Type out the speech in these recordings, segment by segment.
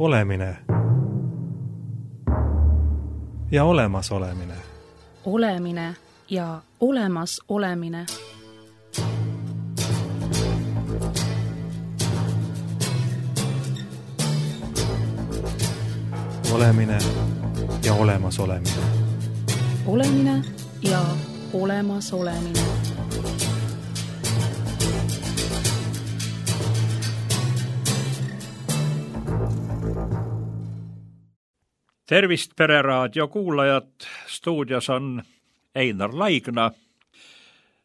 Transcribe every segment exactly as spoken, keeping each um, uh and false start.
Olemine ja olemas olemine. Olemine ja olemas olemine. Olemine ja olemas olemine. Olemine ja olemas olemine. Tervist, Pereraadio kuulajad! Stuudios on Einar Laigna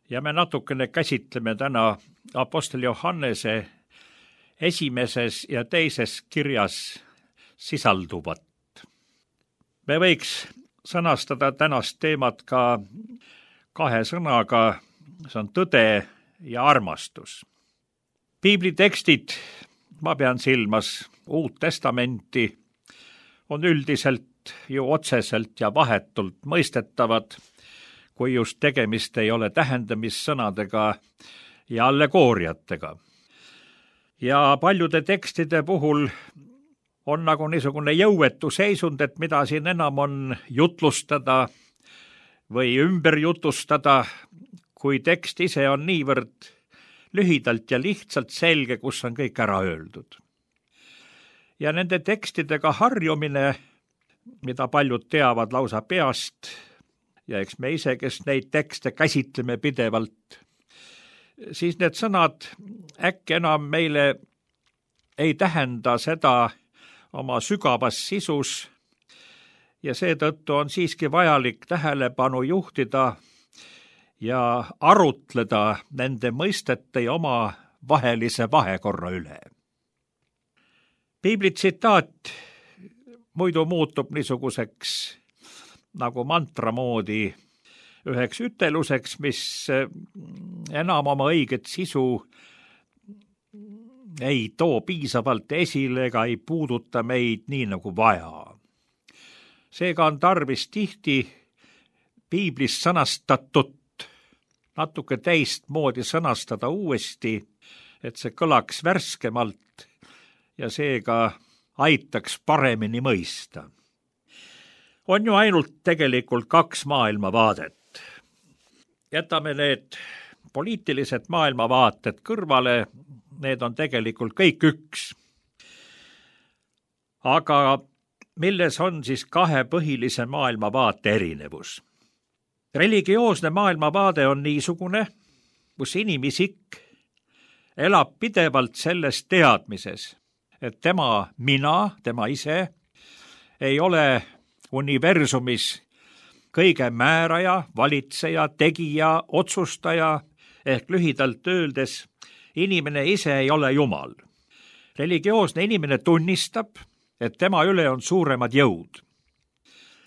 ja me natukene käsitleme täna Apostel Johannese esimeses ja teises kirjas sisalduvat. Me võiks sõnastada tänast teemat ka kahe sõnaga, see on tõde ja armastus. Piiblitekstid, ma pean silmas Uut Testamenti, on üldiselt ju otseselt ja vahetult mõistetavad, kui just tegemist ei ole tähendamissõnadega ja allegooriatega. Ja paljude tekstide puhul on nagu niisugune jõuetu seisund, et mida siin enam on jutlustada või ümber jutustada, kui tekst ise on niivõrd lühidalt ja lihtsalt selge, kus on kõik ära öeldud. Ja nende tekstidega harjumine, mida paljud teavad lausa peast, ja eks me ise, kes neid tekste käsitleme pidevalt, siis need sõnad äkki enam meile ei tähenda seda oma sügavas sisus ja seetõttu on siiski vajalik tähelepanu juhtida ja arutleda nende mõistete ja oma vahelise vahekorra üle. Piibli tsitaat muidu muutub niisuguseks nagu mantra moodi üheks üteluseks, mis enam oma õiget sisu ei too piisavalt esile ega ei puuduta meid nii nagu vaja. Seega on tarvis tihti piiblis sõnastatut natuke teistmoodi sõnastada uuesti, et see kõlaks värskemalt ja seega aitaks paremini mõista. On ju ainult tegelikult kaks maailmavaadet. Jätame need poliitilised maailmavaated kõrvale, need on tegelikult kõik üks. Aga milles on siis kahe põhilise maailmavaate erinevus? Religioosne maailmavaade on niisugune, kus inimisik elab pidevalt selles teadmises, et tema mina, tema ise, ei ole universumis kõige määraja, valitseja, tegija, otsustaja, ehk lühidalt öeldes, inimene ise ei ole Jumal. Religioosne inimene tunnistab, et tema üle on suuremad jõud.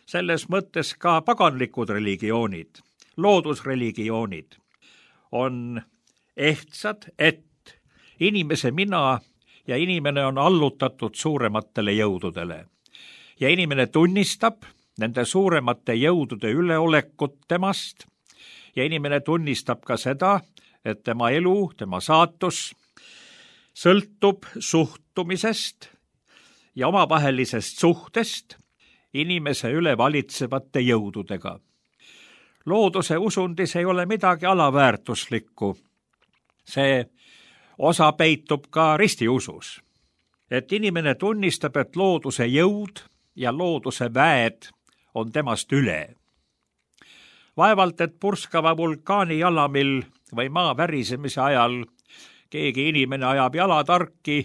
Selles mõttes ka paganlikud religioonid, loodusreligioonid on ehtsad, et inimese mina ja inimene on allutatud suurematele jõududele. Ja inimene tunnistab nende suuremate jõudude üleolekut temast ja inimene tunnistab ka seda, et tema elu, tema saatus sõltub suhtumisest ja omavahelisest suhtest inimese üle valitsevate jõududega. Looduse usundis ei ole midagi alaväärtuslikku. See osa peitub ka ristiusus, et inimene tunnistab, et looduse jõud ja looduse väed on temast üle. Vaevalt, et purskava vulkaani jalamil või maa värisemise ajal keegi inimene ajab jalatarki,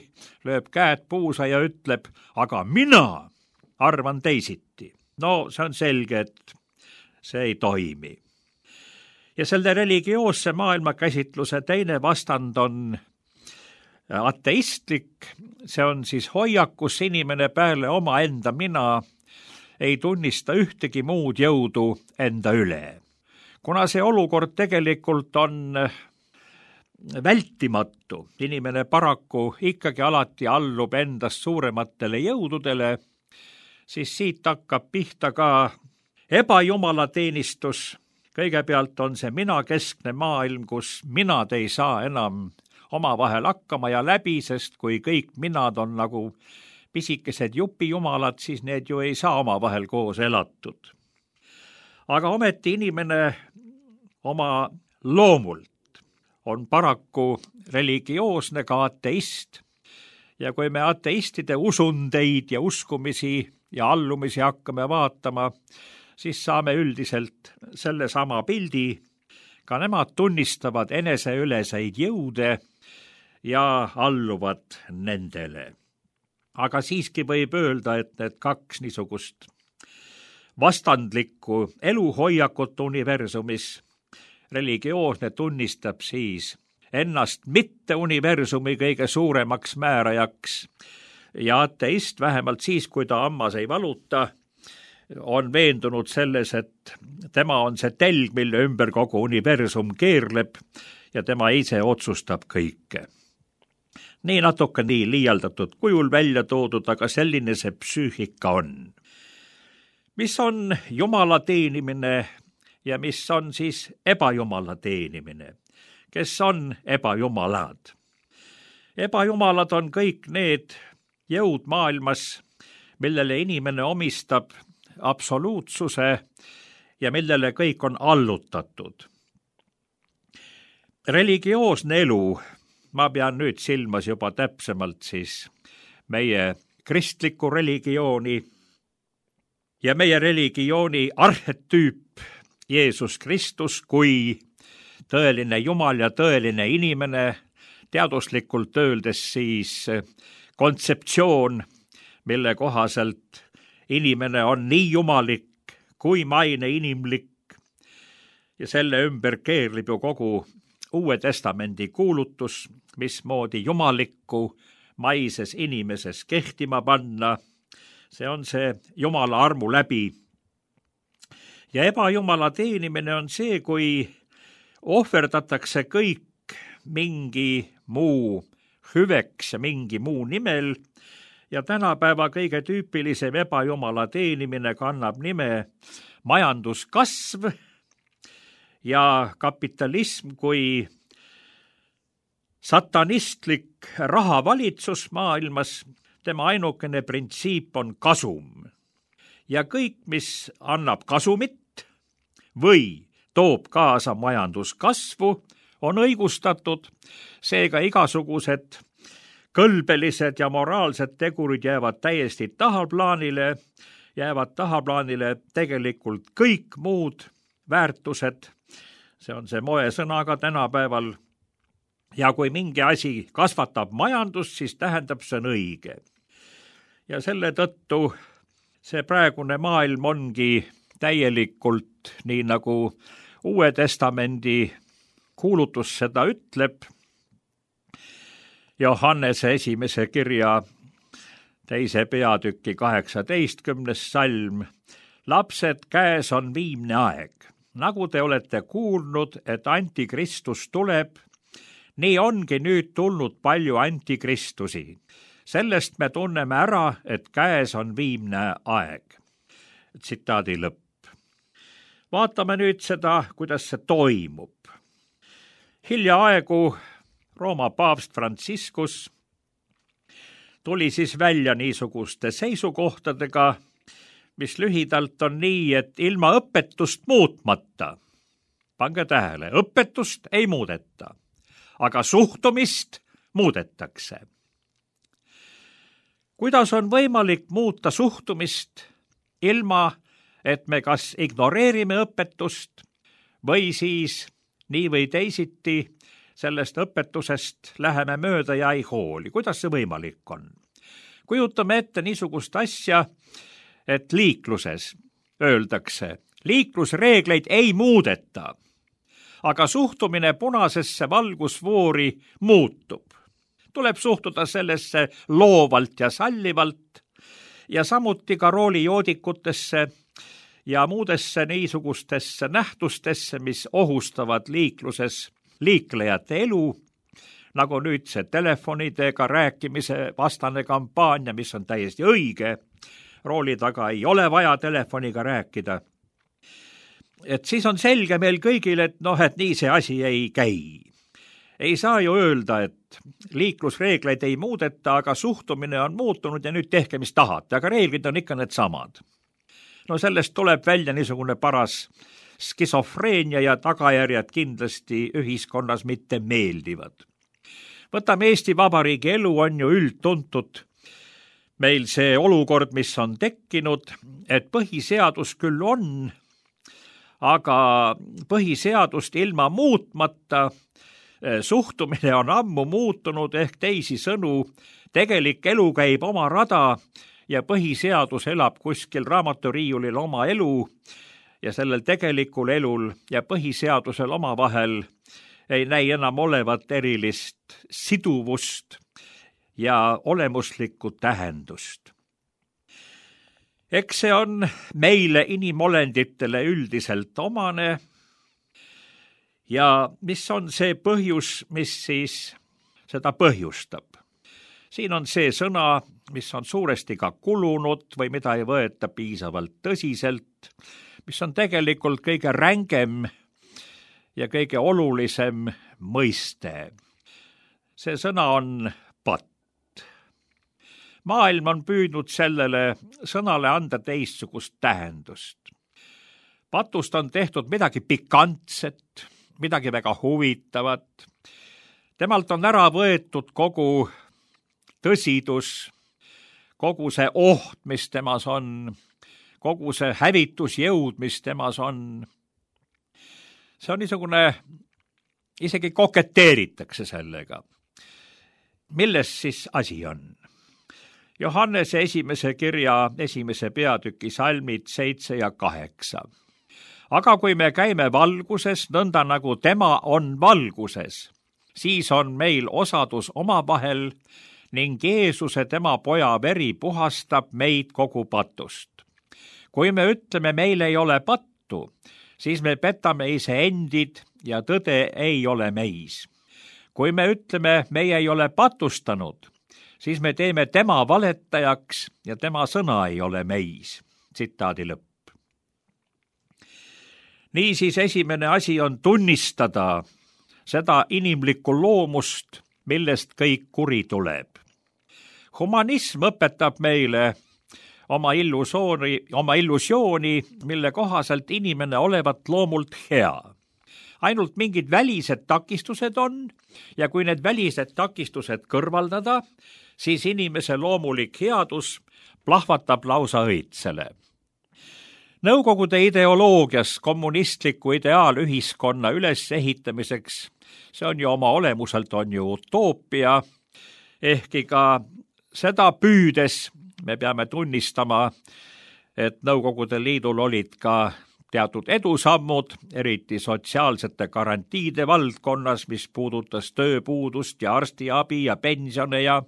lööb käed puusa ja ütleb, aga mina arvan teisiti. No see on selge, et see ei toimi. Ja selle religioosse maailmakäsitluse teine vastand on ateistlik, see on siis hoiak, kus inimene peale oma enda mina ei tunnista ühtegi muud jõudu enda üle. Kuna see olukord tegelikult on vältimatu, inimene paraku ikkagi alati allub endast suurematele jõududele, siis siit hakkab pihta ka ebajumalateenistus. Kõigepealt on see minakeskne maailm, kus minad ei saa enam omavahel hakkama ja läbi, sest kui kõik minad on nagu pisikesed jupijumalad, siis need ju ei saa omavahel koos elatud. Aga ometi inimene oma loomult on paraku religioosne, ka ateist. Ja kui me ateistide usundeid ja uskumisi ja allumisi hakkame vaatama, siis saame üldiselt selle sama pildi. Ka nemad tunnistavad eneseüleseid jõude ja alluvad nendele. Aga siiski võib öelda, et need kaks niisugust vastandlikku eluhoiakut universumis, religioosne tunnistab siis ennast mitte universumi kõige suuremaks määrajaks ja ateist vähemalt siis, kui ta hammas ei valuta, on veendunud selles, et tema on see telg, mille ümber kogu universum keerleb ja tema ise otsustab kõike. Nii natuke nii liialdatud kujul välja toodud, aga selline see psüühika on. Mis on Jumala teenimine ja mis on siis ebajumala teenimine? Kes on ebajumalad? Ebajumalad on kõik need jõud maailmas, millele inimene omistab absoluutsuse ja millele kõik on allutatud. Religioosne elu, ma pean nüüd silmas juba täpsemalt siis meie kristlikku religiooni ja meie religiooni arhetüüp Jeesus Kristus kui tõeline Jumal ja tõeline inimene, teaduslikult öeldes siis kontseptsioon, mille kohaselt inimene on nii jumalik kui maine inimlik ja selle ümber keerlib ju kogu Uue Testamendi kuulutus, mismoodi jumalikku maises inimeses kehtima panna. See on see Jumala armu läbi. Ja ebajumala teenimine on see, kui ohverdatakse kõik mingi muu hüveks ja mingi muu nimel ja tänapäeva kõige tüüpilisem ebajumala teenimine kannab nime majanduskasv ja kapitalism kui satanistlik rahavalitsus maailmas. Tema ainukene printsiip on kasum ja kõik, mis annab kasumit või toob kaasa majanduskasvu, on õigustatud, seega igasugused kõlbelised ja moraalsed tegurid jäävad täiesti tahaplaanile, jäävad tahaplaanile tegelikult kõik muud väärtused, see on see moesõnaga tänapäeval, ja kui mingi asi kasvatab majandust, siis tähendab see on õige. Ja selle tõttu see praegune maailm ongi täielikult, nii nagu Uue Testamendi kuulutus seda ütleb, Johannese esimese kirja teise peatüki kaheksateistkümnes salm. Lapsed, käes on viimne aeg. Nagu te olete kuulnud, et antikristus tuleb, nii ongi nüüd tulnud palju antikristusi. Sellest me tunneme ära, et käes on viimne aeg. Tsitaadi lõpp. Vaatame nüüd seda, kuidas see toimub. Hiljaaegu Rooma paavst Franciscus tuli siis välja niisuguste seisukohtadega, mis lühidalt on nii, et ilma õpetust muutmata, pange tähele, õpetust ei muudeta, aga suhtumist muudetakse. Kuidas on võimalik muuta suhtumist ilma, et me kas ignoreerime õpetust või siis nii või teisiti sellest õpetusest läheme mööda ja ei hooli. Kuidas see võimalik on? Kujutame ette niisugust asja, et liikluses öeldakse, liiklusreegleid ei muudeta, aga suhtumine punasesse valgusfoori muutub. Tuleb suhtuda sellesse loovalt ja sallivalt ja samuti ka roolijoodikutesse ja muudesse niisugustesse nähtustesse, mis ohustavad liikluses liiklejate elu, nagu nüüd see telefonidega rääkimise vastane kampaania, mis on täiesti õige, rooli taga ei ole vaja telefoniga rääkida. Et siis on selge meil kõigil, et noh, et nii see asi ei käi. ei saa ju öelda, et liiklusreegleid ei muudeta, aga suhtumine on muutunud ja nüüd tehke, mis tahate, aga reeglid on ikka need samad. No sellest tuleb välja niisugune paras skisofreenia ja tagajärjed kindlasti ühiskonnas mitte meeldivad. Võtame Eesti Vabariigi elu, on ju üldtuntud meil see olukord, mis on tekkinud, et põhiseadus küll on, aga põhiseadust ilma muutmata suhtumine on ammu muutunud, ehk teisi sõnu, tegelik elu käib oma rada ja põhiseadus elab kuskil raamaturiiulil oma elu ja sellel tegelikul elul ja põhiseadusel omavahel ei näi enam olevat erilist siduvust ja olemuslikku tähendust. Eks see on meile inimolenditele üldiselt omane ja mis on see põhjus, mis siis seda põhjustab? Siin on see sõna, mis on suuresti ka kulunud või mida ei võeta piisavalt tõsiselt, mis on tegelikult kõige rängem ja kõige olulisem mõiste. See sõna on patt. Maailm on püüdnud sellele sõnale anda teistsugust tähendust. Patust on tehtud midagi pikantset, midagi väga huvitavat. Temalt on ära võetud kogu tõsidus, kogu see oht, mis temas on, kogu see hävitusjõud, mis temas on. See on niisugune, isegi koketeeritakse sellega. Milles siis asi on? Johannese esimese kirja esimese peatüki salmid seitse ja kaheksa. Aga kui me käime valguses, nõnda nagu tema on valguses, siis on meil osadus omavahel ning Jeesuse tema poja veri puhastab meid kogu patust. Kui me ütleme, meil ei ole pattu, siis me petame iseendid ja tõde ei ole meis. Kui me ütleme, meie ei ole patustanud, siis me teeme tema valetajaks ja tema sõna ei ole meis. Tsitaadi lõpp. Niisiis esimene asi on tunnistada seda inimlikku loomust, millest kõik kuri tuleb. Humanism õpetab meile oma illusiooni, oma illusiooni, mille kohaselt inimene olevat loomult hea. Ainult mingid välised takistused on ja kui need välised takistused kõrvaldada, siis inimese loomulik headus plahvatab lausa õitsele. Nõukogude ideoloogias kommunistliku ideaalühiskonna ülesehitamiseks, see on ju oma olemuselt on ju utoopia, ehkki ka seda püüdes me peame tunnistama, et Nõukogude Liidul olid ka teatud edusammud, eriti sotsiaalsete garantiide valdkonnas, mis puudutas tööpuudust ja arstiabi ja pensione ja,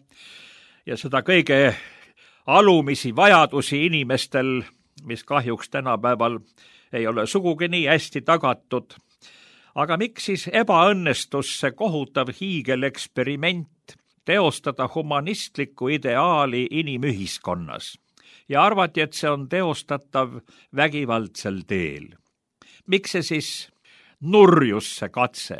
ja seda kõige alumisi vajadusi inimestel, mis kahjuks tänapäeval ei ole sugugi nii hästi tagatud. Aga miks siis ebaõnnestus see kohutav hiigeleksperiment teostada humanistlikku ideaali inimühiskonnas ja arvati, et see on teostatav vägivaldsel teel? Miks see siis nurjus see katse?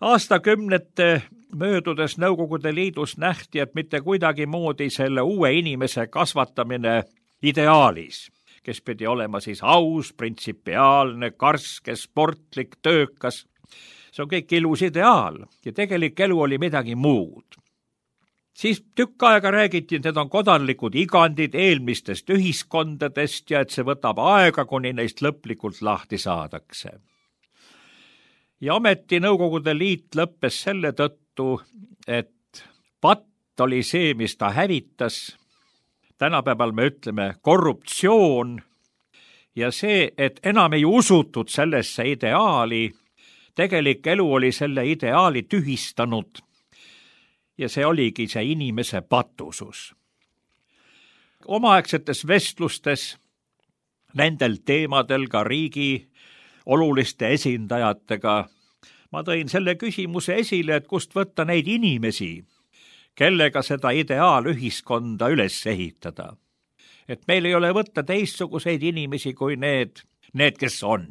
Aastakümnete möödudes Nõukogude Liidus nähti, et mitte kuidagi moodi selle uue inimese kasvatamine ideaalis, kes pidi olema siis aus, printsipiaalne, karske, sportlik, töökas. See on kõik ilus ideaal ja tegelik elu oli midagi muud. Siis tükk aega räägiti, et need on kodanlikud igandid eelmistest ühiskondadest ja et see võtab aega, kuni neist lõplikult lahti saadakse. Ja ometi Nõukogude Liit lõppes selle tõttu, et patt oli see, mis ta hävitas. Tänapäeval me ütleme korruptsioon ja see, et enam ei usutud sellesse ideaali, tegelik elu oli selle ideaali tühistanud ja see oligi see inimese patusus. Omaaegsetes vestlustes nendel teemadel ka riigi oluliste esindajatega ma tõin selle küsimuse esile, et kust võtta neid inimesi, kellega seda ideaalühiskonda üles ehitada. Et meil ei ole võtta teistsuguseid inimesi kui need, need, kes on.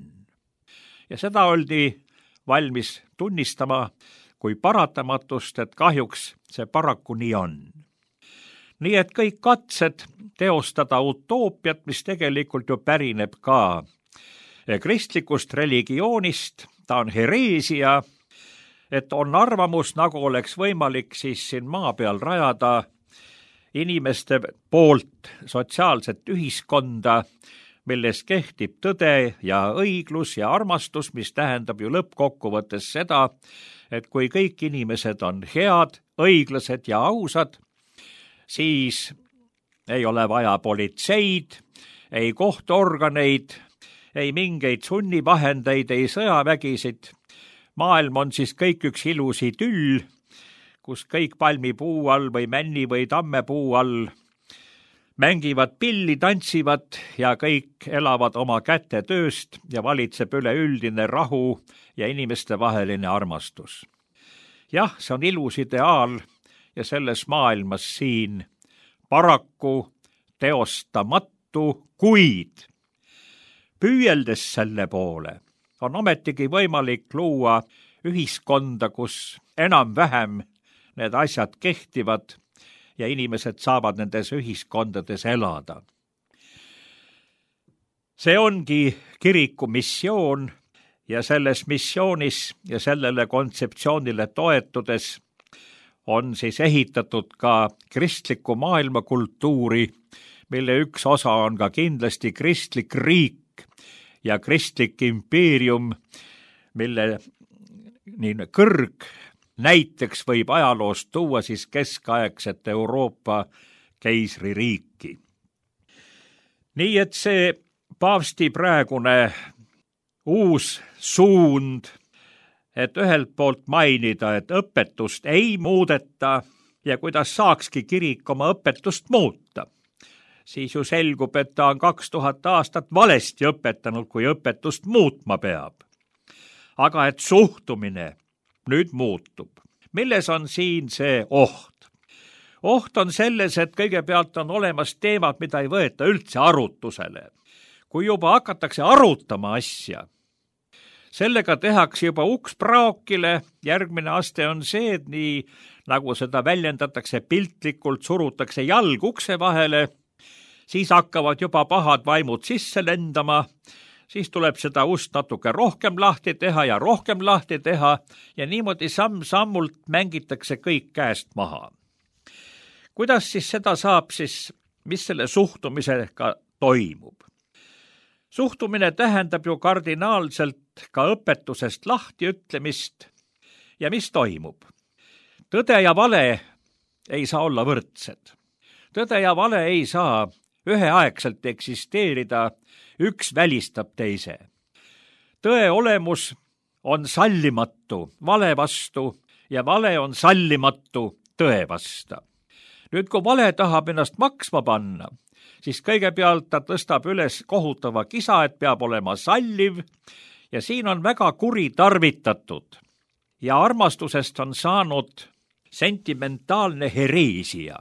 Ja seda oldi valmis tunnistama kui paratamatust, et kahjuks see paraku nii on. Nii et kõik katsed teostada utoopiat, mis tegelikult ju pärineb ka kristlikust religioonist, ta on hereesia, et on arvamus, nagu oleks võimalik siis siin maa peal rajada inimeste poolt sotsiaalset ühiskonda, milles kehtib tõde ja õiglus ja armastus, mis tähendab ju lõppkokkuvõttes seda, et kui kõik inimesed on head, õiglased ja ausad, siis ei ole vaja politseid, ei kohtuorganeid, ei mingeid sunnivahendeid, ei sõjavägisid. Maailm on siis kõik üks ilus idüll, kus kõik palmipuu all või männi või tammepuu all mängivad pilli, tantsivad ja kõik elavad oma käte tööst ja valitseb üleüldine rahu ja inimeste vaheline armastus. Jah, see on ilus ideaal ja selles maailmas siin paraku teostamatu, kuid püüeldes selle poole on ometigi võimalik luua ühiskonda, kus enam-vähem need asjad kehtivad ja inimesed saavad nendes ühiskondades elada. See ongi kiriku missioon ja selles missioonis ja sellele kontseptsioonile toetudes on siis ehitatud ka kristlikku maailmakultuuri, mille üks osa on ka kindlasti kristlik riik ja kristlik impeerium, mille nii kõrg näiteks võib ajaloost tuua siis keskaegset Euroopa keisririiki. Nii et see paavsti praegune uus suund, et ühelt poolt mainida, et õpetust ei muudeta ja kuidas saakski kirik oma õpetust muuta, siis ju selgub, et ta on kaks tuhat aastat valesti õpetanud, kui õpetust muutma peab. Aga et suhtumine nüüd muutub. Milles on siin see oht? Oht on selles, et kõigepealt on olemas teemad, mida ei võeta üldse arutusele. Kui juba hakatakse arutama asja, sellega tehakse juba uks praokile, järgmine aste on see, et nii nagu seda väljendatakse piltlikult, surutakse jalg ukse vahele, siis hakkavad juba pahad vaimud sisse lendama, siis tuleb seda ust natuke rohkem lahti teha ja rohkem lahti teha ja niimoodi samm-sammult mängitakse kõik käest maha. Kuidas siis seda saab siis, mis selle suhtumisega toimub? Suhtumine tähendab ju kardinaalselt ka õpetusest lahtiütlemist ja mis toimub? Tõde ja vale ei saa olla võrdsed. Tõde ja vale ei saa üheaegselt eksisteerida, üks välistab teise. Tõe olemus on sallimatu vale vastu ja vale on sallimatu tõe vastu. Nüüd, kui vale tahab ennast maksma panna, siis kõigepealt ta tõstab üles kohutava kisa, et peab olema salliv ja siin on väga kuritarvitatud ja armastusest on saanud sentimentaalne hereesia.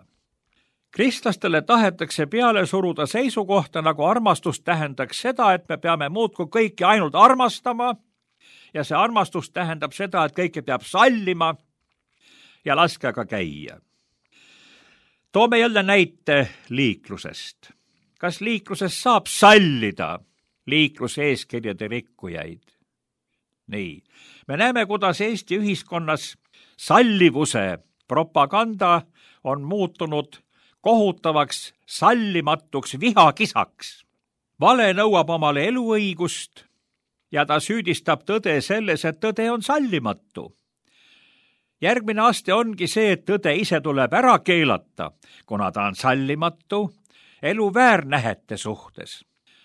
Kristlastele tahetakse peale suruda seisukohta, nagu armastus tähendaks seda, et me peame muudkui kõiki ainult armastama ja see armastus tähendab seda, et kõike peab sallima ja laske aga käia. Toome jälle näite liiklusest. Kas liikluses saab sallida liikluse eeskirjade rikkujaid? Nii, me näeme, kuidas Eesti ühiskonnas sallivuse propaganda on muutunud kohutavaks sallimatuks vihakisaks. Vale nõuab omale eluõigust ja ta süüdistab tõde selles, et tõde on sallimatu. Järgmine aste ongi see, et tõde ise tuleb ära keelata, kuna ta on sallimatu elu väärnähete suhtes.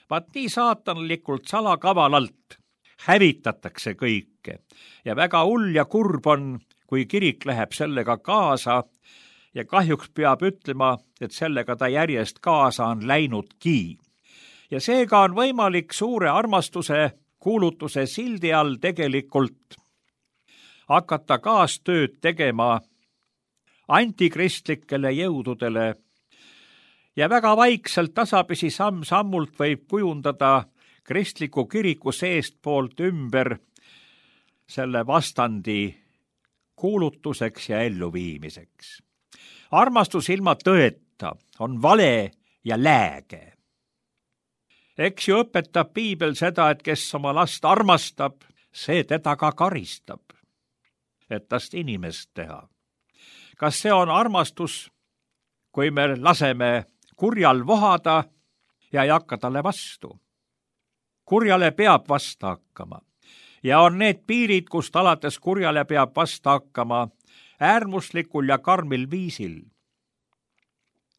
Vaat nii saatanlikult salakavalalt hävitatakse kõike ja väga hull ja kurb on, kui kirik läheb sellega kaasa ja kahjuks peab ütlema, et sellega ta järjest kaasa on läinudki. Ja seega on võimalik suure armastuse kuulutuse sildi all tegelikult hakata kaastööd tegema antikristlikele jõududele ja väga vaikselt tasapisi samm-sammult võib kujundada kristliku kiriku seestpoolt ümber selle vastandi kuulutuseks ja elluviimiseks. armastus ilma tõeta on vale ja lääge. eks ju õpetab piibel seda, et kes oma last armastab, see teda ka karistab, et tast inimest teha. kas see on armastus, kui me laseme kurjal vohada ja ei hakka talle vastu? kurjale peab vasta hakkama ja on need piirid, kust alates kurjale peab vasta hakkama äärmuslikul ja karmil viisil.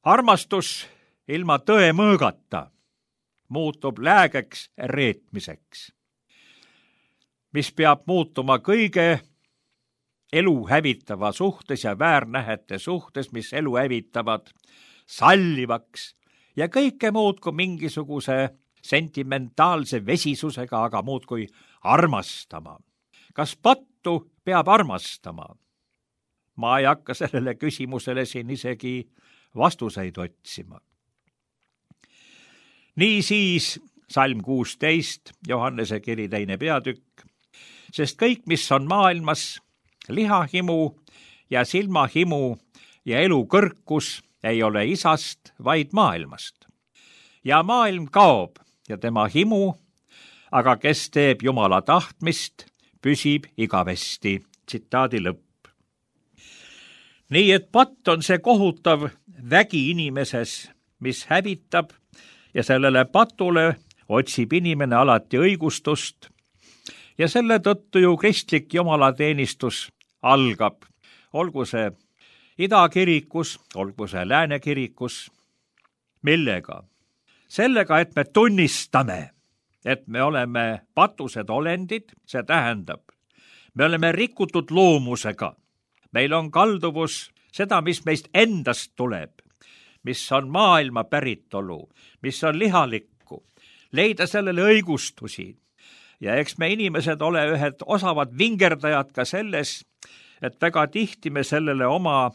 armastus ilma tõe mõõgata muutub läägeks reetmiseks, mis peab muutuma kõige elu hävitava suhtes ja väärnähete suhtes, mis elu hävitavad, sallivaks ja kõike muud kui mingisuguse sentimentaalse vesisusega, aga muud kui armastama. kas pattu peab armastama? ma ei hakka sellele küsimusele siin isegi vastuseid otsima. Niisiis salm kuusteist, Johannese kiri teine peatükk, sest kõik, mis on maailmas, lihahimu ja silmahimu ja elu kõrkus, ei ole isast, vaid maailmast. ja maailm kaob ja tema himu, aga kes teeb Jumala tahtmist, püsib igavesti. Tsitaadi lõpp. nii et patt on see kohutav vägi inimeses, mis hävitab, ja sellele patule otsib inimene alati õigustust ja selle tõttu ju kristlik jumalateenistus algab, olgu see idakirikus, olgu see lääne kirikus. millega? sellega, et me tunnistame, et me oleme patused olendid, see tähendab, me oleme rikutud loomusega. meil on kalduvus seda, mis meist endast tuleb, mis on maailma päritolu, mis on lihalikku, leida sellele õigustusi. ja eks me inimesed ole ühed osavad vingerdajad ka selles, et väga tihti me sellele oma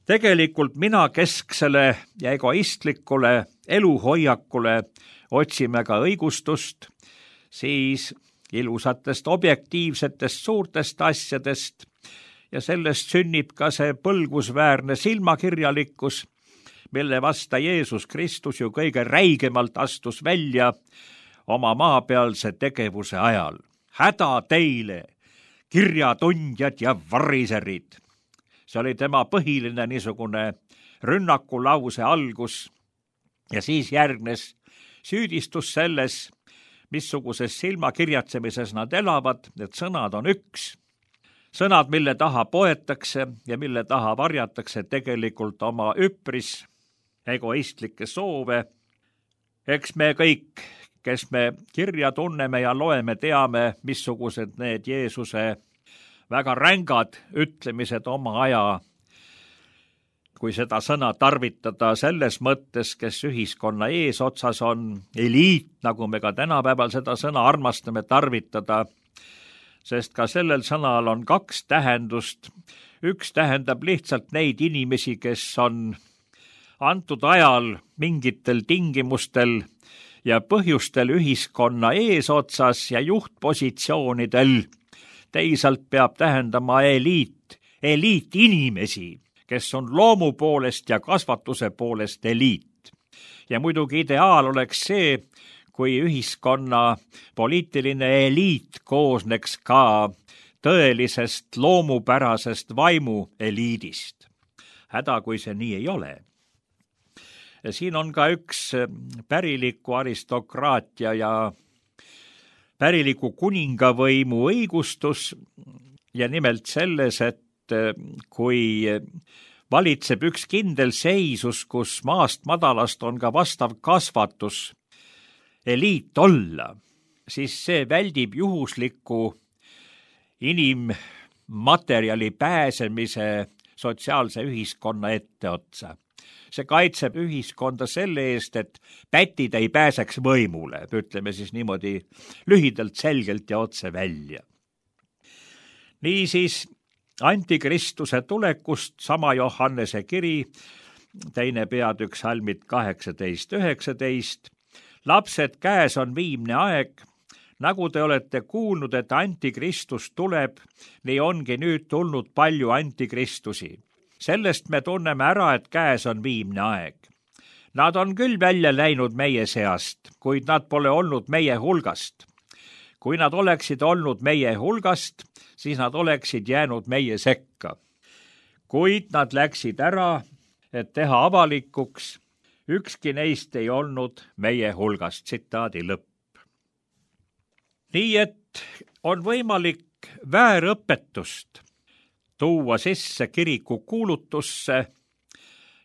tegelikult minakesksele ja egoistlikule eluhoiakule otsime ka õigustust, siis ilusatest objektiivsetest suurtest asjadest ja sellest sünnib ka see põlgusväärne silmakirjalikkus, mille vasta Jeesus Kristus ju kõige räigemalt astus välja oma maapealse tegevuse ajal. häda teile, kirjatundjad ja variserid. see oli tema põhiline niisugune rünnakulause algus ja siis järgnes süüdistus selles, missuguses silmakirjatsemises nad elavad, need sõnad on üks. sõnad, mille taha poetakse ja mille taha varjatakse tegelikult oma üpris egoistlikke soove. eks me kõik, kes me kirja tunneme ja loeme, teame, missugused need Jeesuse väga rängad ütlemised oma aja, kui seda sõna tarvitada selles mõttes, kes ühiskonna eesotsas on, eliit, nagu me ka tänapäeval seda sõna armastame tarvitada, sest ka sellel sõnal on kaks tähendust. üks tähendab lihtsalt neid inimesi, kes on antud ajal mingitel tingimustel ja põhjustel ühiskonna eesotsas ja juhtpositsioonidel. teisalt peab tähendama eliit, eliitinimesi, kes on loomu poolest ja kasvatuse poolest eliit. ja muidugi ideaal oleks see, kui ühiskonna poliitiline eliit koosneks ka tõelisest loomupärasest vaimu eliidist. häda, kui see nii ei ole. siin on ka üks päriliku aristokraatia ja päriliku kuningavõimu õigustus ja nimelt selles, et kui valitseb üks kindel seisus, kus maast madalast on ka vastav kasvatus eliit olla, siis see väldib juhusliku inimmaterjali pääsemise sotsiaalse ühiskonna etteotsa. see kaitseb ühiskonda selle eest, et pätid ei pääseks võimule, ütleme siis niimoodi lühidalt, selgelt ja otse välja. niisiis antikristuse tulekust sama Johannese kiri, teine peatükk salmid kaheksateist üheksateist. lapsed, käes on viimne aeg, nagu te olete kuulnud, et antikristus tuleb, nii ongi nüüd tulnud palju antikristusi. Sellest me tunneme ära, et käes on viimne aeg. Nad on küll välja läinud meie seast, kuid nad pole olnud meie hulgast. Kui nad oleksid olnud meie hulgast, siis nad oleksid jäänud meie sekka. Kuid nad läksid ära, et teha avalikuks, ükski neist ei olnud meie hulgast. Tsitaadi lõpp. Nii et on võimalik väärõpetust tuua sisse kiriku kuulutusse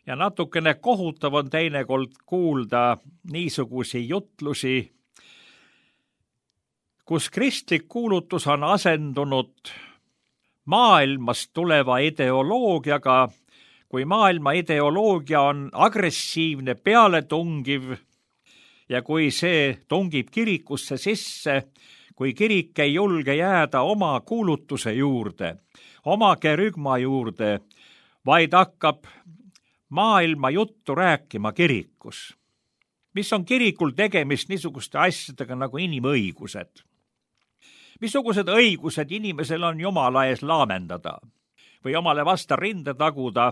ja natukene kohutav on teinekord kuulda niisugusi jutlusi, kus kristlik kuulutus on asendunud maailmast tuleva ideoloogiaga, kui maailma ideoloogia on agressiivne, pealetungiv ja kui see tungib kirikusse sisse, kui kirik ei julge jääda oma kuulutuse juurde, oma kerügma juurde, vaid hakkab maailma juttu rääkima kirikus. Mis on kirikul tegemist niisuguste asjadega nagu inimõigused? Missugused õigused inimesel on Jumala ees laamendada või omale vasta rinde taguda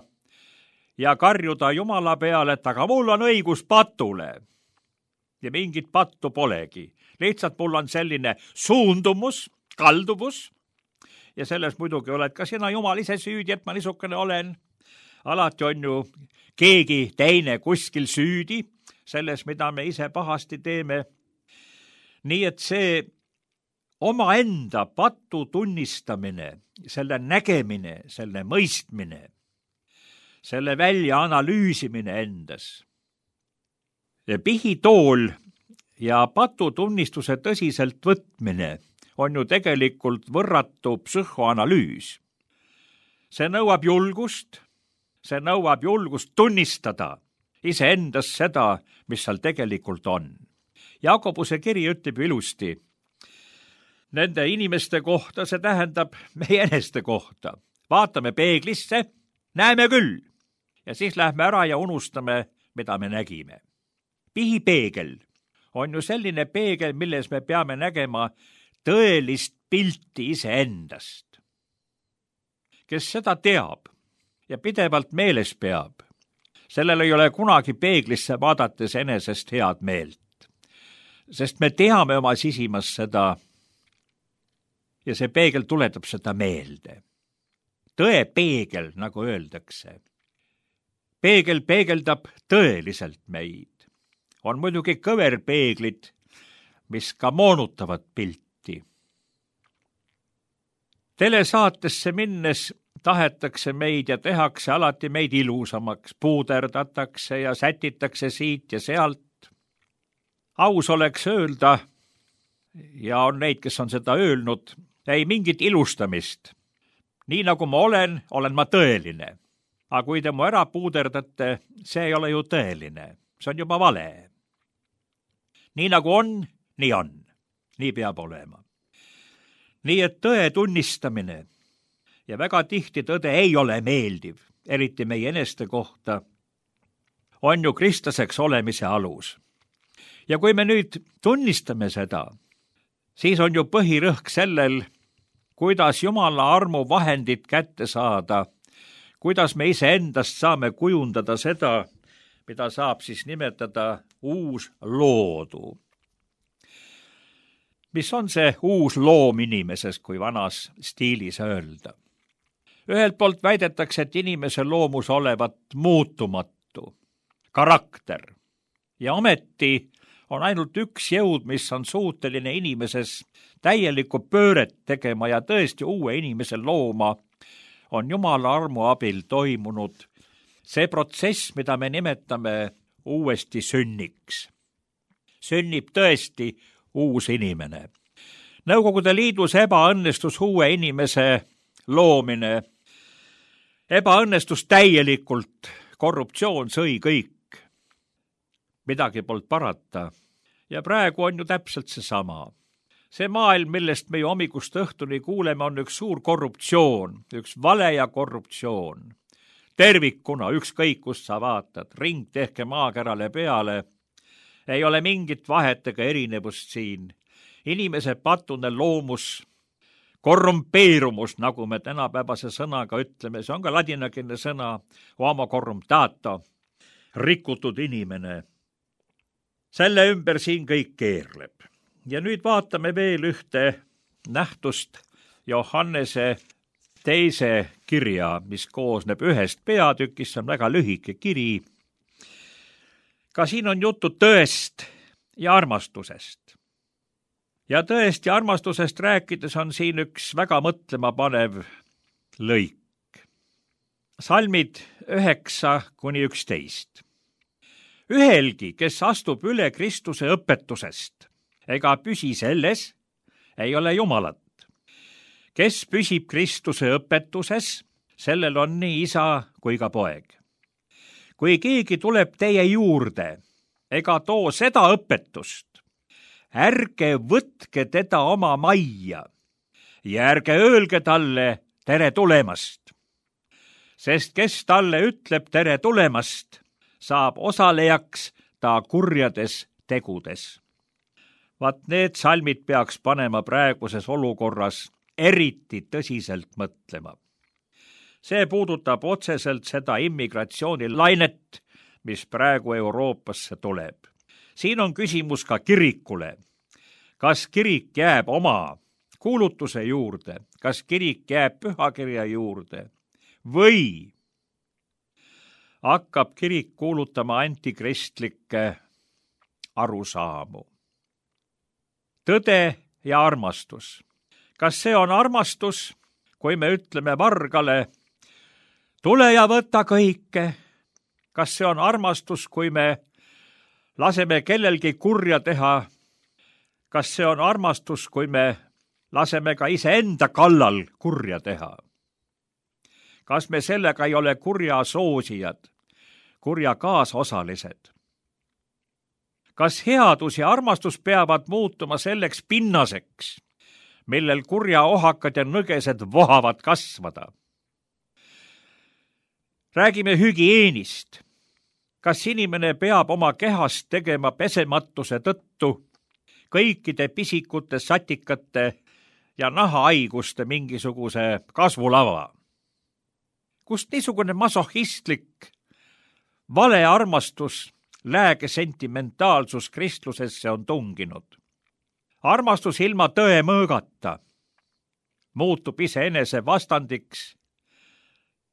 ja karjuda Jumala peale, et aga mul on õigus patule. Ja mingit pattu polegi. Lihtsalt mul on selline suundumus, kalduvus ja selles muidugi oled ka sina Jumal ise süüdi, et ma niisugune olen. Alati on ju keegi teine kuskil süüdi selles, mida me ise pahasti teeme. Nii et see omaenda patu tunnistamine, selle nägemine, selle mõistmine, selle välja analüüsimine endas. Pihitool ja patutunnistuse tõsiselt võtmine on ju tegelikult võrratu psühhoanalüüs. See nõuab julgust, see nõuab julgust tunnistada iseendas seda, mis seal tegelikult on. Jakobuse kiri ütleb ilusti nende inimeste kohta, see tähendab meie eneste kohta. Vaatame peeglisse, näeme küll ja siis lähme ära ja unustame, mida me nägime. Pihipeegel on ju selline peegel, milles me peame nägema tõelist pilti iseendast. Kes seda teab ja pidevalt meeles peab, sellel ei ole kunagi peeglisse vaadates enesest head meelt. Sest me teame oma sisimas seda ja see peegel tuletab seda meelde. Tõe peegel, nagu öeldakse. Peegel peegeldab tõeliselt meid. On muidugi kõverpeeglid, mis ka moonutavad pilti. Telesaatesse minnes tahetakse meid ja tehakse alati meid ilusamaks, puuderdatakse ja sätitakse siit ja sealt. Aus oleks öelda, ja on neid, kes on seda öelnud, ei mingit ilustamist. Nii nagu ma olen, olen ma tõeline. Aga kui te mu ära puuderdate, see ei ole ju tõeline. See on juba vale. Nii nagu on, nii on. Nii peab olema. Nii et tõe tunnistamine ja väga tihti tõde ei ole meeldiv, eriti meie eneste kohta, on ju kristlaseks olemise alus. Ja kui me nüüd tunnistame seda, siis on ju põhirõhk sellel, kuidas Jumala armu vahendid kätte saada, kuidas me iseendast saame kujundada seda, mida saab siis nimetada uus loodu. Mis on see uus loom inimeses, kui vanas stiilis öelda? Ühelt poolt väidetakse, et inimese loomus olevat muutumatu, karakter. Ja ometi on ainult üks jõud, mis on suuteline inimeses täielikku pööret tegema ja tõesti uue inimese looma, on Jumala armu abil toimunud see protsess, mida me nimetame uuesti sünniks. Sünnib tõesti uus inimene. Nõukogude Liidus ebaõnnestus uue inimese loomine. Ebaõnnestus täielikult, korruptsioon sõi kõik. Midagi polnud parata. Ja praegu on ju täpselt seesama. See maailm, millest me ju hommikust õhtuni kuuleme, on üks suur korruptsioon, üks vale ja korruptsioon. Tervikuna, ükskõik kust sa vaatad, ring tehke maakerale peale, ei ole mingit vahet ega erinevust siin. inimese patune loomus, korrumpeerumus, nagu me tänapäevase sõnaga ütleme, see on ka ladinakeelne sõna, homo corruptato, rikutud inimene. Selle ümber siin kõik keerleb. Ja nüüd vaatame veel ühte nähtust Johannese teise kirja, mis koosneb ühest peatükist, see on väga lühike kiri. Ka siin on juttu tõest ja armastusest. Ja tõest ja armastusest rääkides on siin üks väga mõtlema panev lõik. Salmid üheksa kuni üksteist. Ühelgi, kes astub üle Kristuse õpetusest, ega püsi selles, ei ole Jumalat. Kes püsib Kristuse õpetuses, sellel on nii isa kui ka poeg. Kui keegi tuleb teie juurde, ega too seda õpetust, ärge võtke teda oma majja ja ärge öelge talle tere tulemast. Sest kes talle ütleb tere tulemast, saab osalejaks ta kurjades tegudes. Vaat need salmid peaks panema praeguses olukorras eriti tõsiselt mõtlema. See puudutab otseselt seda immigratsioonilainet, mis praegu Euroopasse tuleb. Siin on küsimus ka kirikule. Kas kirik jääb oma kuulutuse juurde, kas kirik jääb pühakirja juurde või hakkab kirik kuulutama antikristlikke arusaamu. Tõde ja armastus. Kas see on armastus, kui me ütleme vargale, tule ja võta kõike? Kas see on armastus, kui me laseme kellelgi kurja teha? Kas see on armastus, kui me laseme ka iseenda kallal kurja teha? Kas me sellega ei ole kurja soosijad, kurja kaasosalised? Kas headus ja armastus peavad muutuma selleks pinnaseks, millel kurja ohakad ja nõgesed vohavad kasvada? Räägime hügieenist. Kas inimene peab oma kehast tegema pesematuse tõttu kõikide pisikute, satikate ja nahahaiguste mingisuguse kasvulava? Kust niisugune masohhistlik vale armastus, lääge sentimentaalsus kristlusesse on tunginud? Armastus ilma tõe mõõgata muutub iseenese vastandiks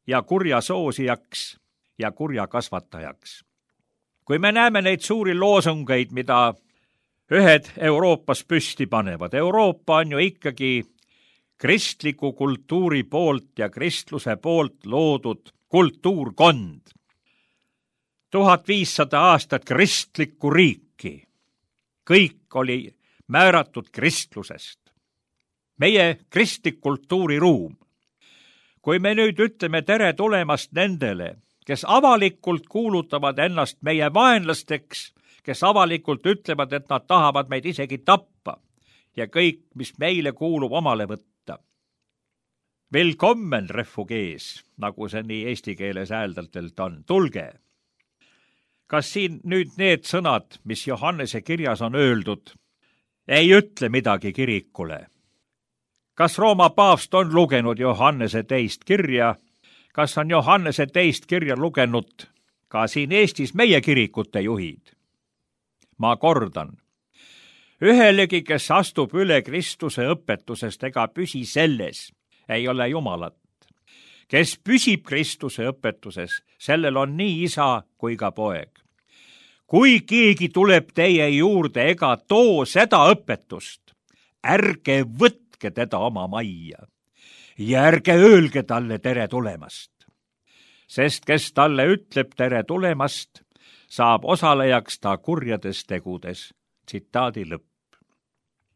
ja kurja soosijaks ja kurja kasvatajaks. Kui me näeme neid suuri loosungeid, mida ühed Euroopas püsti panevad, Euroopa on ju ikkagi kristliku kultuuri poolt ja kristluse poolt loodud kultuurkond. tuhat viissada aastat kristlikku riiki. Kõik oli määratud kristlusest. Meie kristlik kultuuriruum. Kui me nüüd ütleme tere tulemast nendele, kes avalikult kuulutavad ennast meie vaenlasteks, kes avalikult ütlevad, et nad tahavad meid isegi tappa ja kõik, mis meile kuulub, omale võtta. Willkommen refugees, nagu see nii eesti keeles hääldatelt on, tulge. Kas siin nüüd need sõnad, mis Johannese kirjas on öeldud, ei ütle midagi kirikule? Kas Rooma paavst on lugenud Johannese teist kirja? Kas on Johannese teist kirja lugenud ka siin Eestis meie kirikute juhid? Ma kordan, ühelegi, kes astub üle Kristuse õpetusest ega püsi selles, ei ole Jumalat. Kes püsib Kristuse õpetuses, sellel on nii isa kui ka poeg. Kui keegi tuleb teie juurde ega too seda õpetust, ärge võtke teda oma majja ja ärge öelge talle tere tulemast. Sest kes talle ütleb tere tulemast, saab osalejaks ta kurjades tegudes. Tsitaadi lõpp.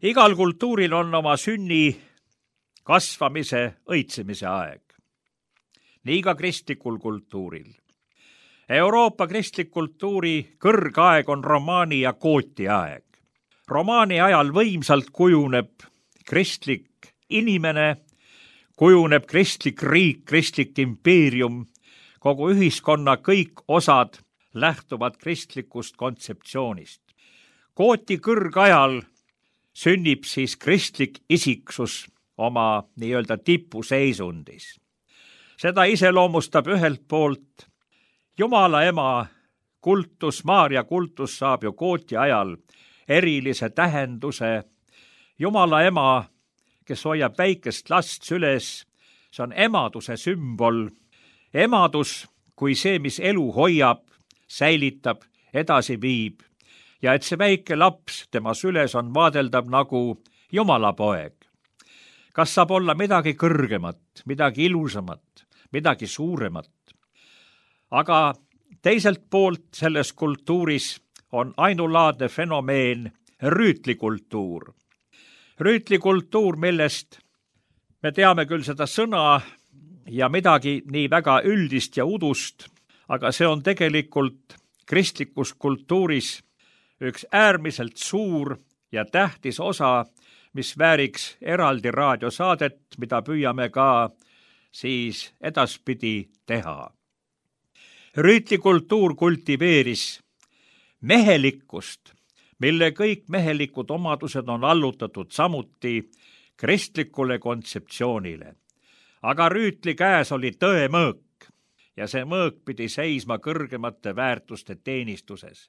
Igal kultuuril on oma sünni, kasvamise, õitsemise aeg. Nii ka kristlikul kultuuril. Euroopa kristlik kultuuri kõrgaeg on romaani ja gooti aeg. Romaani ajal võimsalt kujuneb kristlik inimene, kujuneb kristlik riik, kristlik impeerium, kogu ühiskonna kõik osad lähtuvad kristlikust kontseptsioonist. Gooti kõrgajal sünnib siis kristlik isiksus oma nii-öelda tipuseisundis. Seda iseloomustab ühelt poolt Jumala ema kultus, Maarja kultus saab ju kooti ajal erilise tähenduse. Jumala ema, kes hoiab väikest last süles, see on emaduse sümbol. Emadus kui see, mis elu hoiab, säilitab, edasi viib ja et see väike laps tema süles on vaadeldav nagu Jumala poeg. Kas saab olla midagi kõrgemat, midagi ilusamat, midagi suuremat? Aga teiselt poolt selles kultuuris on ainulaadne fenomeen rüütlikultuur. Rüütlikultuur, millest me teame küll seda sõna ja midagi nii väga üldist ja udust, aga see on tegelikult kristlikus kultuuris üks äärmiselt suur ja tähtis osa, mis vääriks eraldi raadiosaadet, mida püüame ka siis edaspidi teha. Rüütlikultuur kultiveeris mehelikkust, mille kõik mehelikud omadused on allutatud samuti kristlikule kontseptsioonile. Aga rüütli käes oli tõe mõõk ja see mõõk pidi seisma kõrgemate väärtuste teenistuses.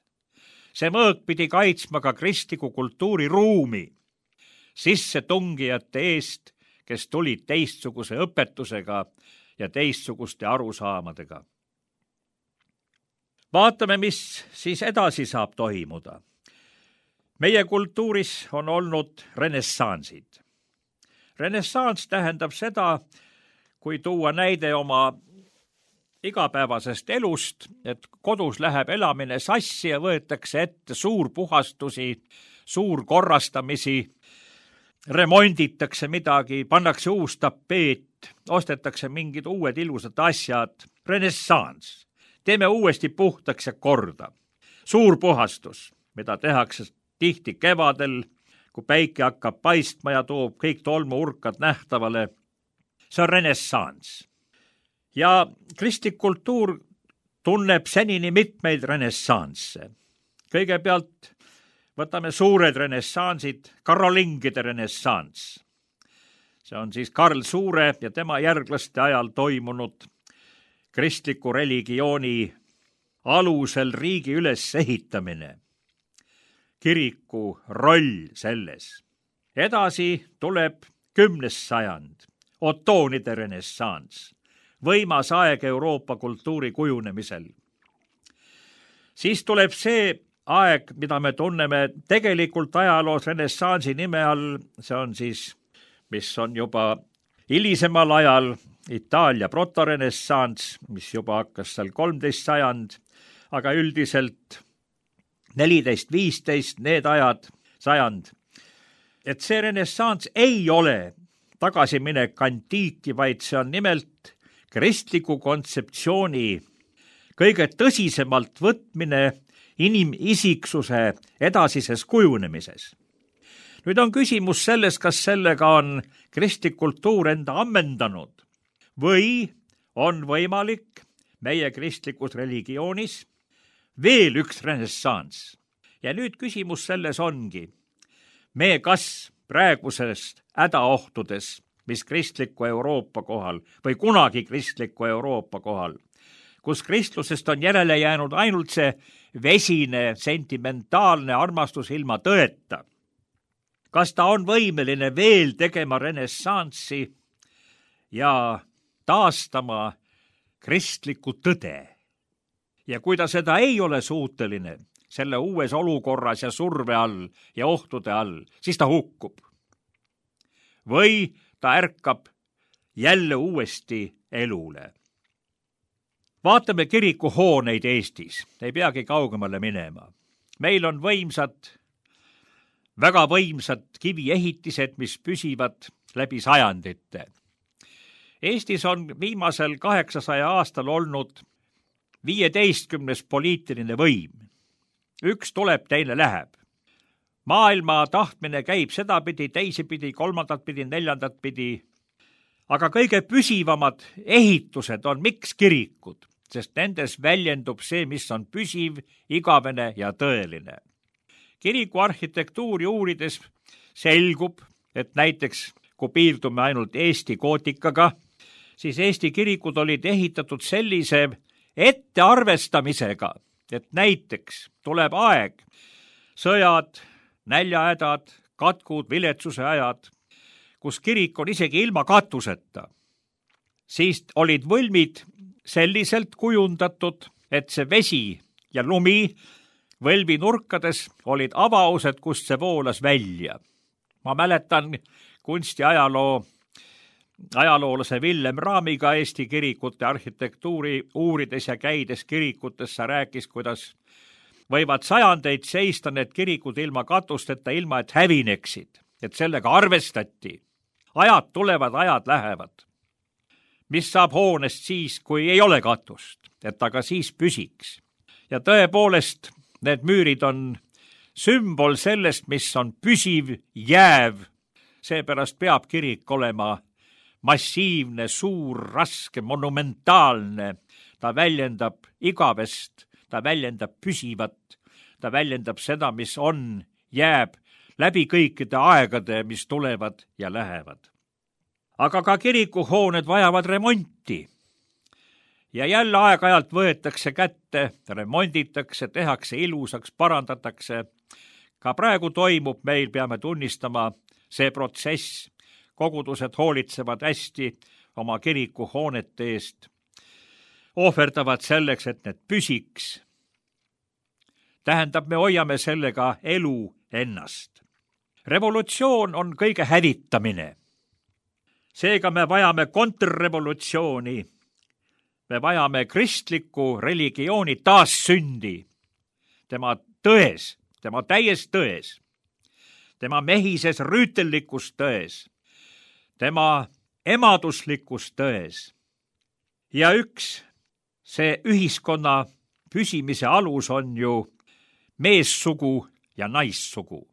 See mõõk pidi kaitsma ka kristliku kultuuri ruumi sissetungijate eest, kes tulid teistsuguse õpetusega ja teistsuguste arusaamadega. Vaatame, mis siis edasi saab toimuda. Meie kultuuris on olnud renessansid. Renessans tähendab seda, kui tuua näide oma igapäevasest elust, et kodus läheb elamine sassi ja võetakse ette suurpuhastusi, suurkorrastamisi, remonditakse midagi, pannakse uus tapeet, ostetakse mingid uued ilusad asjad. Renessans. Teeme uuesti puhtaks ja korda. Suurpuhastus, mida tehakse tihti kevadel, kui päike hakkab paistma ja toob kõik tolmuurkad nähtavale. See on renessans. Ja kristlik kultuur tunneb senini mitmeid renessansse. Kõigepealt võtame suured renessansid, karolingide renessans. See on siis Karl Suure ja tema järglaste ajal toimunud kristliku religiooni alusel riigi ülesehitamine. Kiriku roll selles. Edasi tuleb kümnes sajand, otoonide renessans, võimas aeg Euroopa kultuuri kujunemisel. Siis tuleb see aeg, mida me tunneme tegelikult ajaloos renessansi nime all, see on siis, mis on juba hilisemal ajal Itaalia protorenessans, mis juba hakkas seal kolmteist sajand, aga üldiselt neliteist viisteist, need ajad, sajand. Et see renessans ei ole tagasiminek antiiki, vaid see on nimelt kristliku kontseptsiooni kõige tõsisemalt võtmine inimisiksuse edasises kujunemises. Nüüd on küsimus selles, kas sellega on kristlik kultuur enda ammendanud või on võimalik meie kristlikus religioonis veel üks renessans. Ja nüüd küsimus selles ongi, me kas praegusest hädaohtudes, mis kristliku Euroopa kohal või kunagi kristliku Euroopa kohal, kus kristlusest on järele jäänud ainult see vesine, sentimentaalne armastus ilma tõeta. Kas ta on võimeline veel tegema renessanssi ja taastama kristlikku tõde? Ja kui ta seda ei ole suuteline selle uues olukorras ja surve all ja ohtude all, siis ta hukkub. Või ta ärkab jälle uuesti elule. Vaatame kirikuhooneid Eestis, ei peagi kaugemale minema. Meil on võimsad, väga võimsad kiviehitised, mis püsivad läbi sajandite. Eestis on viimasel kaheksasaja aastal olnud viieteistkümnes poliitiline võim. Üks tuleb, teine läheb. Maailma tahtmine käib sedapidi, teisipidi, kolmandat pidi, neljandat pidi. Aga kõige püsivamad ehitused on miks kirikud, sest nendes väljendub see, mis on püsiv, igavene ja tõeline. Kiriku arhitektuuri uurides selgub, et näiteks kui piirdume ainult Eesti gootikaga, siis Eesti kirikud olid ehitatud sellise ettearvestamisega, et näiteks tuleb aeg, sõjad, näljahädad, katkud, viletsuse ajad, kus kirik on isegi ilma katuseta. Siis olid võlmid selliselt kujundatud, et see vesi ja lumi võlvi nurkades olid avaused, kust see voolas välja. Ma mäletan kunstiajaloo ajaloolase Villem Raamiga Eesti kirikute arhitektuuri uurides ja käides kirikutessa rääkis, kuidas võivad sajandeid seista need kirikud ilma katusteta, ilma et hävineksid, et sellega arvestati. Ajad tulevad, ajad lähevad. Mis saab hoonest siis, kui ei ole katust, et aga siis püsiks. Ja tõepoolest, need müürid on sümbol sellest, mis on püsiv, jääv. Seepärast peab kirik olema massiivne, suur, raske, monumentaalne. Ta väljendab igavest, ta väljendab püsivat, ta väljendab seda, mis on, jääb läbi kõikide aegade, mis tulevad ja lähevad. Aga ka kirikuhooned vajavad remonti. Ja jälle aeg-ajalt võetakse kätte, remonditakse, tehakse ilusaks, parandatakse. Ka praegu toimub meil, peame tunnistama, see protsess. Kogudused hoolitsevad hästi oma kirikuhoonete eest. Ohverdavad selleks, et need püsiks. Tähendab, me hoiame sellega elu ennast. Revolutsioon on kõige hävitamine. Seega me vajame kontrrevolutsiooni. Me vajame kristliku religiooni taassündi. Tema tões, tema täies tões. Tema mehises rüütellikus tões. Tema emaduslikus tões. Ja üks, see ühiskonna püsimise alus on ju meessugu ja naissugu.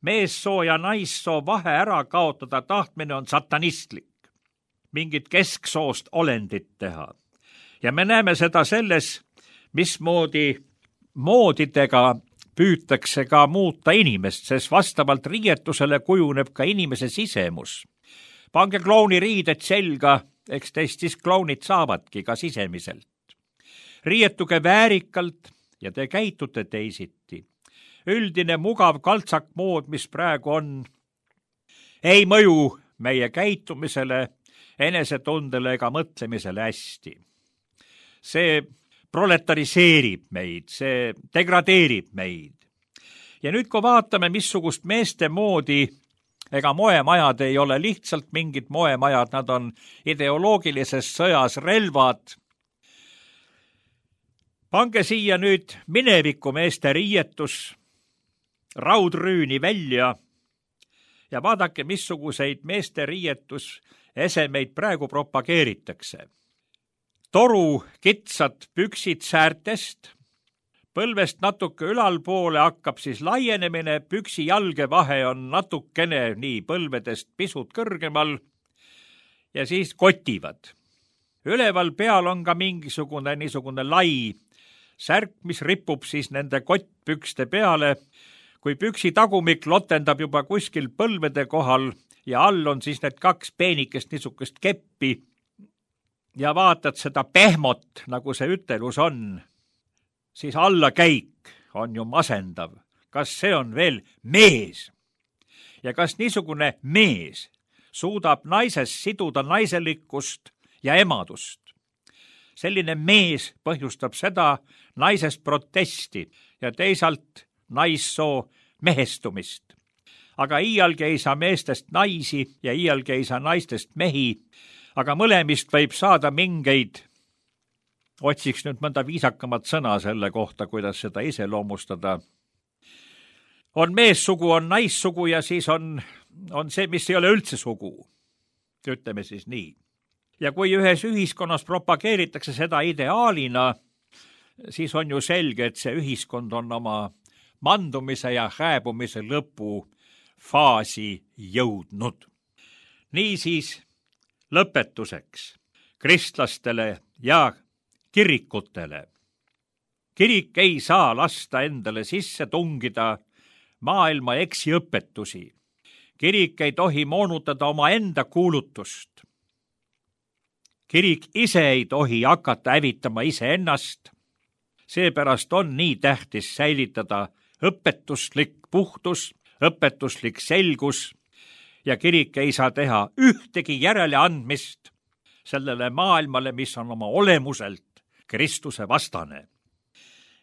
Meessoo ja naissoo vahe ära kaotada tahtmine on satanistlik. Mingit kesksoost olendit teha. Ja me näeme seda selles, mismoodi moodidega püütakse ka muuta inimest, sest vastavalt riietusele kujuneb ka inimese sisemus. Pange klouni riided selga, eks teist siis klounid saavadki ka sisemiselt. Riietuge väärikalt ja te käitute teisiti. Üldine mugav kaltsakmood, mis praegu on, ei mõju meie käitumisele, enesetundele ega mõtlemisele hästi. See proletariseerib meid, see degradeerib meid. Ja nüüd, kui vaatame, missugust meeste moodi, ega moemajad ei ole lihtsalt mingid moemajad, nad on ideoloogilises sõjas relvad. Pange siia nüüd mineviku meeste riietus, raudrüüni välja ja vaadake, missuguseid meeste riietus esemeid praegu propageeritakse. Toru kitsad püksid säärtest, põlvest natuke ülalpoole hakkab siis laienemine, püksi jalge vahe on natukene nii põlvedest pisut kõrgemal ja siis kotivad. Üleval peal on ka mingisugune niisugune lai särk, mis ripub siis nende kottpükste peale. Kui püksi tagumik lotendab juba kuskil põlvede kohal ja all on siis need kaks peenikest niisugust keppi ja vaatad seda pehmot, nagu see ütelus on, siis allakäik on ju masendav. Kas see on veel mees? Ja kas niisugune mees suudab naisest siduda naiselikkust ja emadust? Selline mees põhjustab seda naisest protesti ja teisalt naissoo mehestumist. Aga iialgi ei saa meestest naisi ja iialgi ei saa naistest mehi, aga mõlemist võib saada mingeid, otsiks nüüd mõnda viisakamat sõna selle kohta, kuidas seda iseloomustada. On meessugu, on naissugu ja siis on, on see, mis ei ole üldse sugu. Ütleme siis nii. Ja kui ühes ühiskonnas propageeritakse seda ideaalina, siis on ju selge, et see ühiskond on oma mandumise ja hääbumise lõpu faasi jõudnud. Niisiis lõpetuseks kristlastele ja kirikutele. Kirik ei saa lasta endale sisse tungida maailma eksiõpetusi. kirik ei tohi moonutada omaenda kuulutust. Kirik ise ei tohi hakata hävitama iseennast. Seepärast on nii tähtis säilitada õpetuslik puhtus, õpetuslik selgus ja kirik ei saa teha ühtegi järeleandmist sellele maailmale, mis on oma olemuselt Kristuse vastane.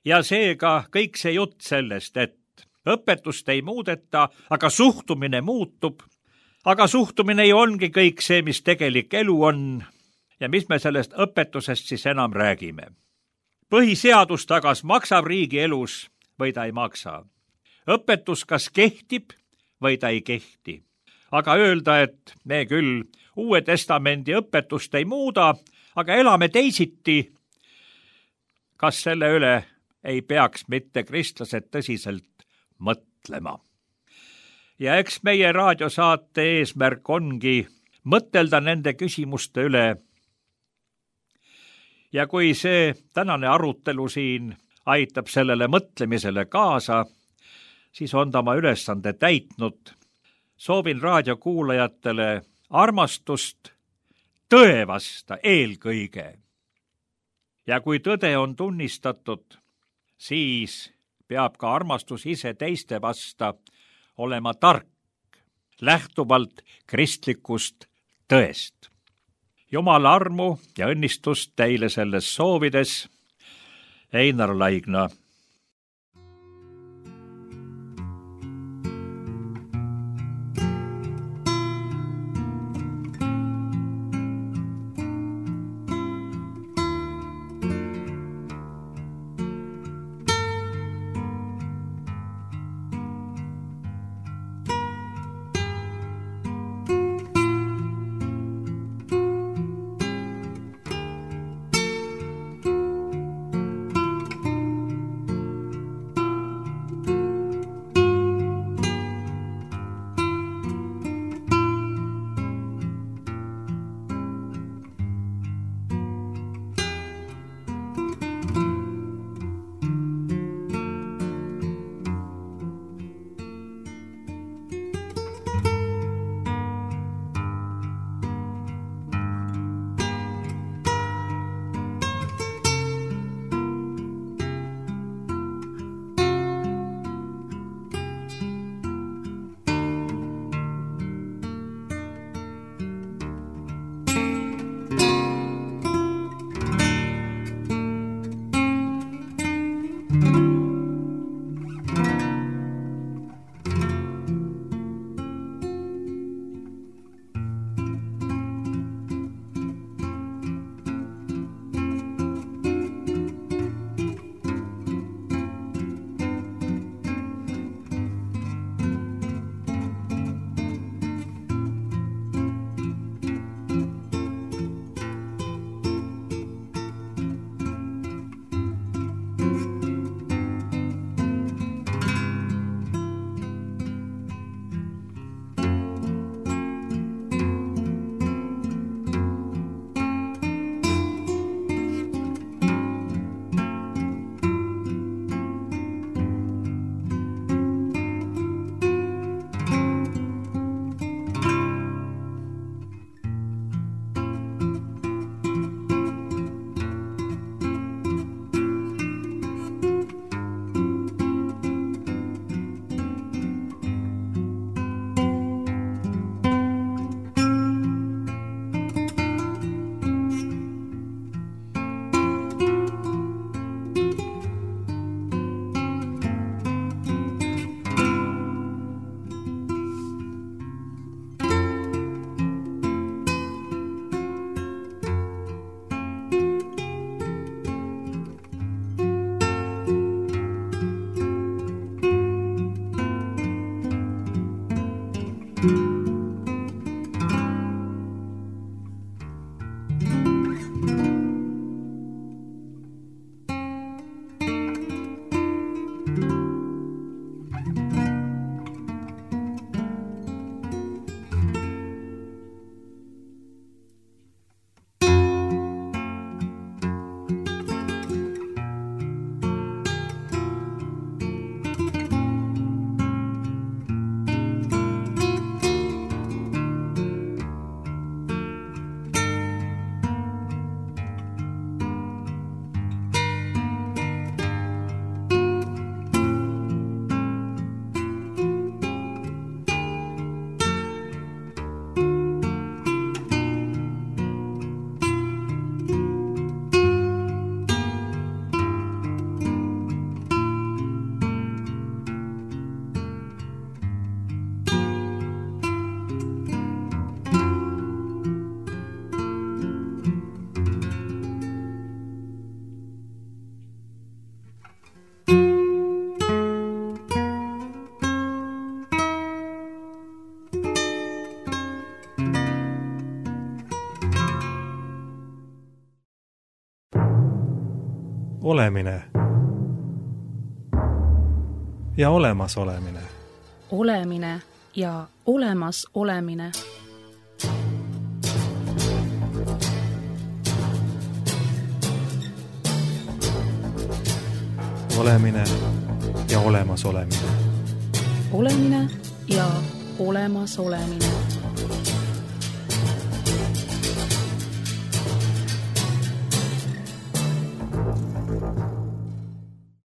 Ja seega kõik see jutt sellest, et õpetust ei muudeta, aga suhtumine muutub, aga suhtumine ju ongi kõik see, mis tegelik elu on ja mis me sellest õpetusest siis enam räägime. Põhiseadus tagas maksab riigi elus või ta ei maksa. Õpetus kas kehtib või ta ei kehti. Aga öelda, et me küll Uue Testamendi õpetust ei muuda, aga elame teisiti, kas selle üle ei peaks mitte kristlased tõsiselt mõtlema. Ja eks meie raadiosaate eesmärk ongi mõtelda nende küsimuste üle. Ja kui see tänane arutelu siin aitab sellele mõtlemisele kaasa, siis on ta oma ülesande täitnud. Soovin raadiokuulajatele armastust tõe vasta eelkõige. Ja kui tõde on tunnistatud, siis peab ka armastus ise teiste vasta olema tark, lähtuvalt kristlikust tõest. Jumala armu ja õnnistust teile selles soovides, Einar Laigna. olemine ja olemasolemine. Olemine ja olemas olemine. Olemine ja olemas olemine. Olemine ja olemas olemine.